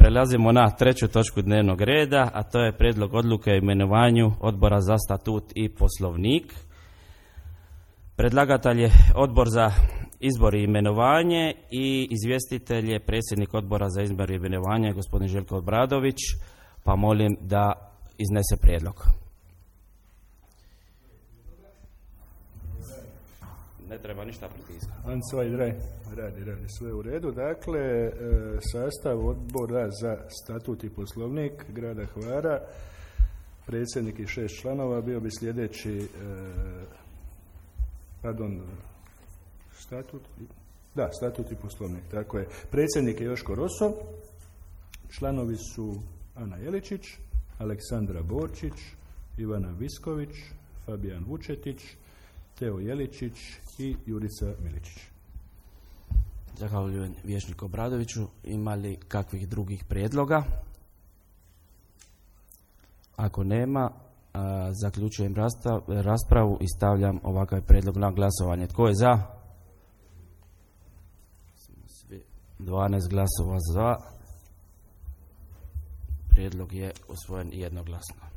prelazimo na 3. točku dnevnog reda, a to je prijedlog odluke o imenovanju Odbora za statut i poslovnik. Predlagatelj je Odbor za izbor i imenovanje i izvjestitelj je predsjednik Odbora za izbor i imenovanje, gospodin Željko Obradović, pa molim da iznese prijedlog. Ne treba ništa pritiskati. Radi sve u redu. Dakle, sastav Odbora za statut i poslovnik grada Hvara, predsjednik i 6 članova, bio bi sljedeći statut i poslovnik. Tako je. Predsjednik je Joško Roso, članovi su Ana Jeličić, Aleksandra Borčić, Ivana Visković, Fabijan Vučetić, Teo Jeličić i Jurica Miličić. Zahvaljujem vijećniku Obradoviću. Ima li kakvih drugih prijedloga? Ako nema, zaključujem raspravu i stavljam ovakav prijedlog na glasovanje. Tko je za? 12 glasova za. Prijedlog je usvojen jednoglasno.